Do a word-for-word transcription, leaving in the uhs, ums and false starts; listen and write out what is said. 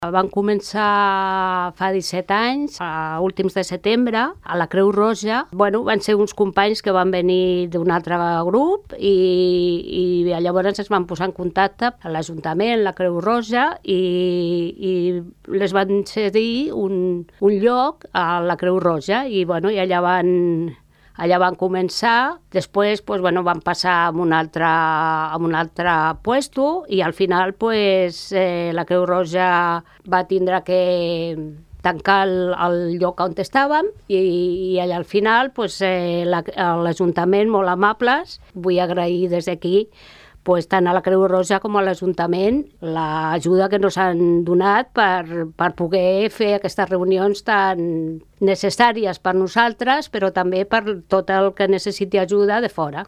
Van començar fa disset anys, a últims de setembre, a la Creu Roja. Bueno, van ser uns companys que van venir d'un altre grup i, i llavors es van posar en contacte a l'Ajuntament, la Creu Roja, i, i les van cedir un, un lloc a la Creu Roja i, bueno, i allà van... Allà van començar, després pues, bueno, van passar a un altre, a un altre puesto i al final pues, eh, la Creu Roja va tindre que tancar el, el lloc on estàvem i, i allà al final pues, eh, la, l'Ajuntament, molt amables, vull agrair des d'aquí pues, tant a la Creu Roja com a l'Ajuntament l'ajuda que ens han donat per, per poder fer aquestes reunions tan necessàries per nosaltres, però també per tot el que necessiti ajuda de fora.